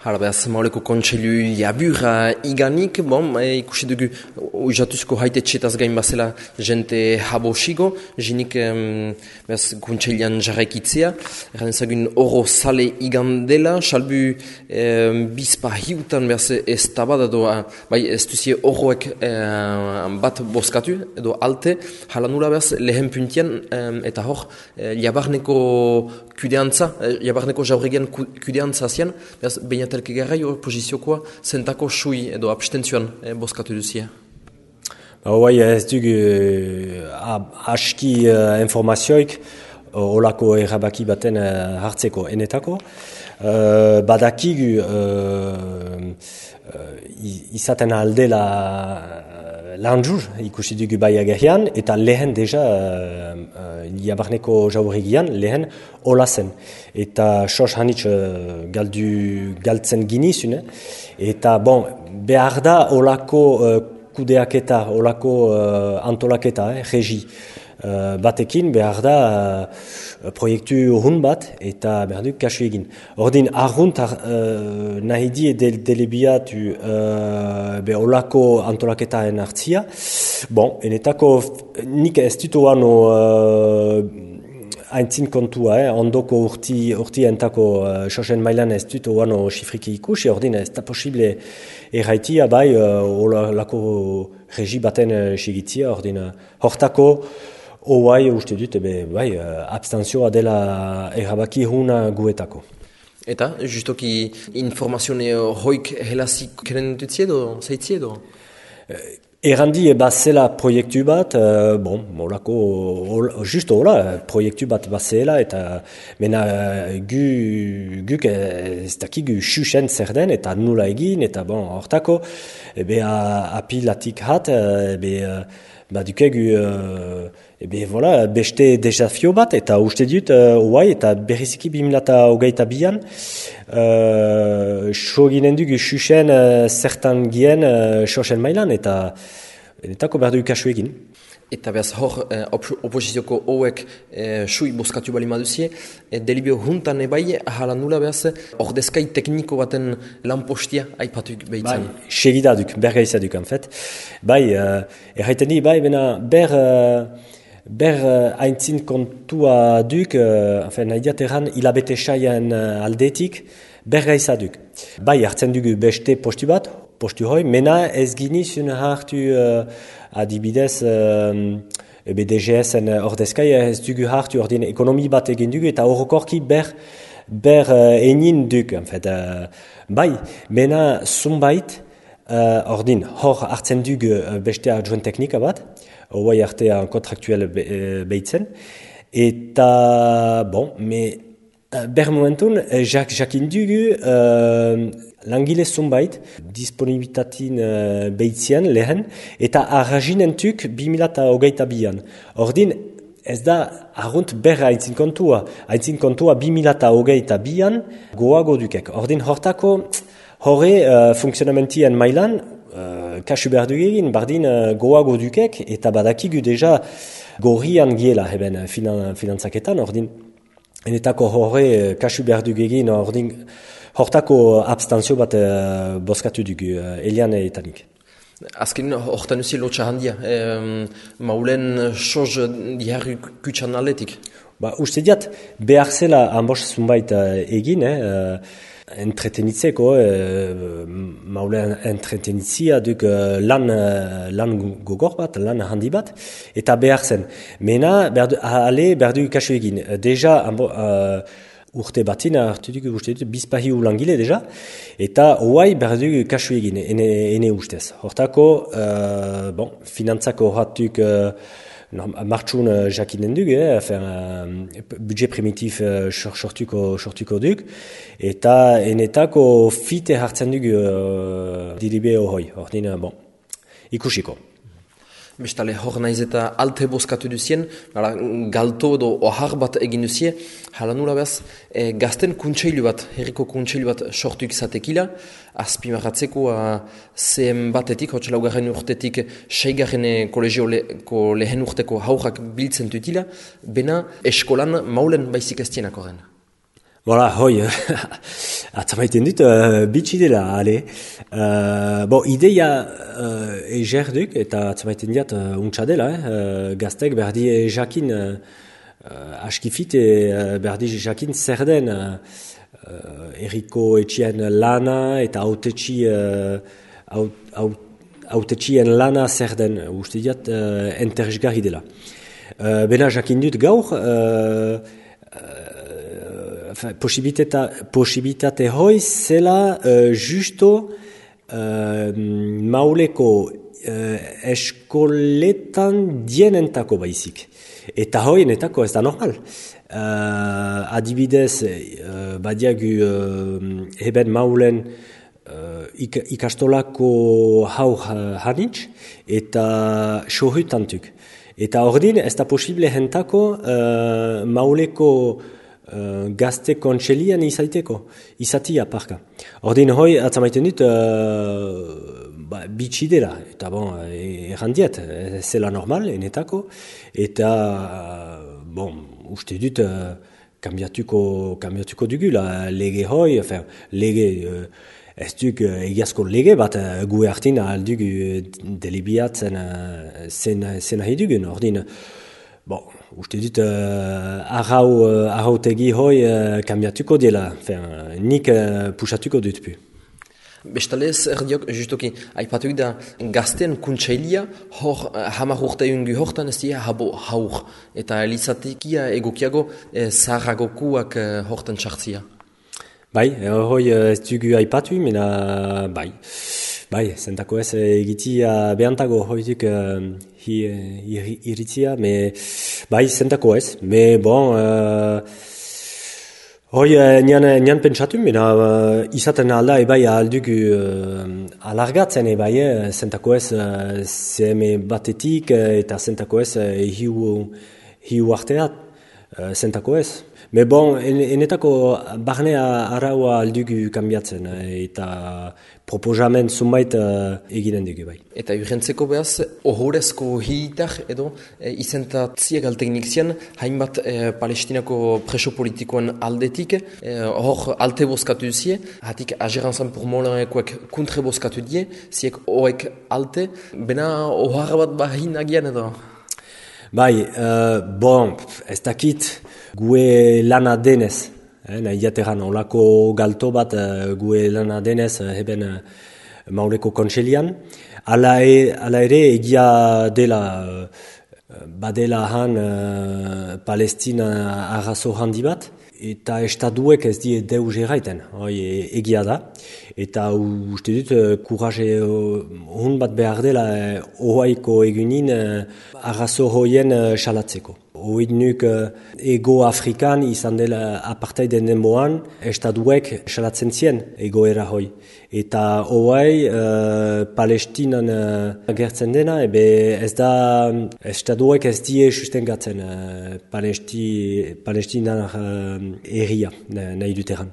Hala behaz, mauleko kontseilu jabura iganik, ikusi dugu uizatuzko haitetxetaz gain bazela jente habosigo, jinik behaz kontseilian jarraikitzea, erran ezagun oro sale igandela, salbu bizpa hiutan behaz ez tabada doa, bai ez duzie oroek bat boskatu edo alte, hala nula behaz lehen puntian eta hor jabarneko kudeantza, jabarneko jauregian kudeantza zian, behaz beinatelke garrai opoziziokoa zentako sui edo abstentzioan boskatu duzia. Bai, ez dugu aski informazioik olako erabaki baten hartzeko enetako. Badakigu izaten aldela lanjur ikusi dugu bai agerrian, eta lehen deja jabarneko jauregian lehen hola zen. Eta sos hanitz galtzen ginizune. Eta behar da olako kudeaketa, olako antolaketa, regi batekin behar da proiektu urrun bat eta behar du kasu egin. Ordin arrunt nahi die delebiatu olako antolaketaen hartzia. Enetako nik ez dut oano haintzin kontua, ondoko urti entako sosen mailan ez dut oano xifriki ikusi, ordin ez da posible erraitia bai olako regi baten sigitzia, ordin hortako Oai uste dut, abstentzioa dela erabaki huna guetako. Eta, justoki informazione hoik helazik keren dutzie edo, zaitzie edo? Errandi bazela proiektu bat, justo hola, proiektu bat bazela, eta mena guk ez dakigu xuxen zer den, eta nula egin, eta hortako, apilatik hat, dukegu beste desafio bat, eta uste dut, eta berriziki 2022an, so ginen dugu xuxen zertan gien sosen mailan, eta enetako behar du kasu egin. Eta behaz hor oposizioko hauek sui boskatu bali maduzie, delibio juntan ebai hala nula behaz ordezkai tekniko baten lanpostia aipatuk behitzen. Segidaduk, bergaizaduk anfet. Erraiten di, bena ber haintzin kontua duk, nahi diateran hilabete saian aldetik, bergaizaduk. Hartzen dugu beste postu bat, postu hoi, mena ez ginizun hartu adibidez DGS-en ordezkai ez dugu hartu ordin ekonomi bat egin dugu eta horrokorki ber enin duk. Mena zunbait ordin hor hartzen dugu beste adjoint teknika bat, hoi artean kontraktuel behitzen, eta ber momentun jakin dugu langile zunbait disponibilitatin behitzean lehen, eta arrazinentuk 2022an. Ordin, ez da arrunt berra haintzin kontua 2022an goago dukek. Ordin, hortako horre funksionamentien mailan, kasu behar dugegin, bardin goago dukek, eta badakigu deja gorrian giela heben finantzaketan, ordin, enetako horre kasu behar dugegin, ordin, hortako abstentzio bat boskatu dugu, Elian etanik. Azken hortan uzi lotxa handia, maulen soz diharri kutsan aletik? Uste diat, behar zela hanbos zunbait egin, entretenitzeko, maulen entretenitzia duk lan gogor bat, lan handi bat, eta behar zen. Mena, behar du kasu egin. Deja, urte batina hartu dugu uste dut, bizpahi ulangile deja, eta hoai behar dugu kasu egin, ene ustez. Hortako, finantzako horretuk martxun jakinen dugu, budget primitif sortuko duk, eta enetako fite hartzen dugu dilibe hori, ikusiko. Bestale, hor naiz eta alte boskatu duzien, galto edo ohar bat egin duzie, hala nula behaz, gazten kuntseilu bat, herriko kuntseilu bat sortuk zatekila, azpimarratzeko zehen batetik, hotxe laugarren urtetik, seigarren kolegioko lehen urteko haurrak biltzen tutila, bena eskolan maulen baizik ez tienak horren. Voilà, hoi, atzamaiten dut, bitxi dela, ale. Ideia egerduk, eta atzamaiten diat untsa dela, gaztek berdi jakin askifit, berdi jakin zer den Eriko etxien lana eta autetxien lana zer den, uste diat enteresgarri dela. Bena jakin dut gaur, posibilitate hoi zela justo Mauleko eskoletan dienentako baizik. Eta hoienetako ez da normal. Adibidez, badiagu heben Maulen ikastolako haur hanitz eta sohutantuk. Eta ordin ez da posible jentako Mauleko gazte kontselian izatia parka. Ordin hoi atzamaiten dut bitxi dela, eta errandiet, zela normal, enetako, eta uste dut kambiatuko dugula lege hoi, lege, ez duk egiazko lege bat gu hartin aldugu delibiatzen zen nahi dugun, ordin, uste dut arrautegi hoi kambiatuko dela, nik pusatuko dut pu. Bestalez, erdiok, justoki, aipatuk da gazten kuntsailia hor hamar urteungu hortan ez dira haur. Eta elizatekia egokiago zaharragokuak hortan txartzia. Bai, hoi ez dugu aipatu, mena bai, zentako ez egitia behantago hoituk iritzia, bai, zentako ez, hoi, nian pentsatu, izaten alda ebai aldugu alargatzen ebai, zentako ez CM batetik eta zentako ez hiu arteat, zentako ez. Enetako barnea araua aldugu kambiatzen eta proposamen zunbait eginen dugu bai. Eta urrentzeko behaz, ohorezko hilitar edo izentatziak alteknik zian, hainbat Palestinako preso politikoan aldetik, hor alte bozkatu zie, hatik agerantzan purmolanekoek kontre bozkatu die, ziek hoek alte, bena ohar bat bahin agian edo? Bai, ez dakit gue lana denez, nahi jateran, olako galto bat gue lana denez heben Mauleko kontselian. Ala ere egia dela, badela han Palestina arrazo handi bat, eta estaduek ez die deus erraiten, egia da. Eta uste dut, kuraje hon bat behar dela ohaiko egunin arrazo hoien salatzeko. Hoid nuk ego Afrikan izan dela apartheiden denboan, estaduek salatzen zien egoera hoi. Eta hoai Palestinan gertzen dena, ez da estaduek ez die sustengatzen Palestinan erria nahi duteran.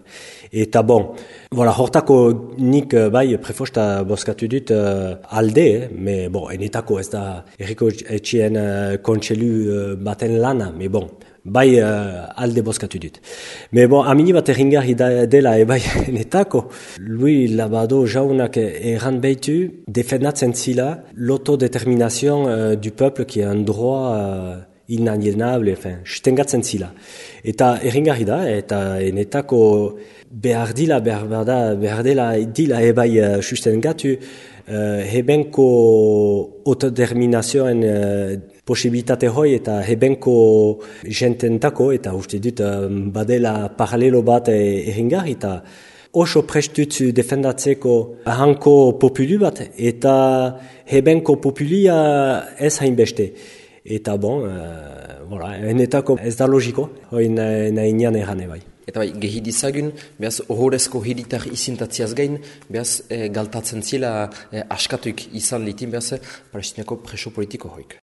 Eta hortako nik bai prefosta bozkatu dut alde, enetako ez da Eriko etxien kontselu baten lana, bai alde bozkatu dut. Amini bat erringarri dela ebai enetako, lui Labado jaunak erran behitu defendatzen zila l'autodetermination du peuple qui est un droit inalienable, sustengatzen zila. Eta erringarri da, eta enetako behar dela ebai sustengatu hebenko autodeterminazioen posibilitate hoi eta hebenko jententako, eta uste dut badela paralelo bat erringarri, eta oso prestutzu defendatzeko hanko populu bat, eta hebenko populia ez hainbeste. Eta enetako ez da logiko, hoi nahi nian errane bai. Eta bai, gehi dizagun, behaz ohorezko hilitar izintatziaz gain, behaz galtatzen zila askatuik izan litin behaz Palestinako preso politiko hoik.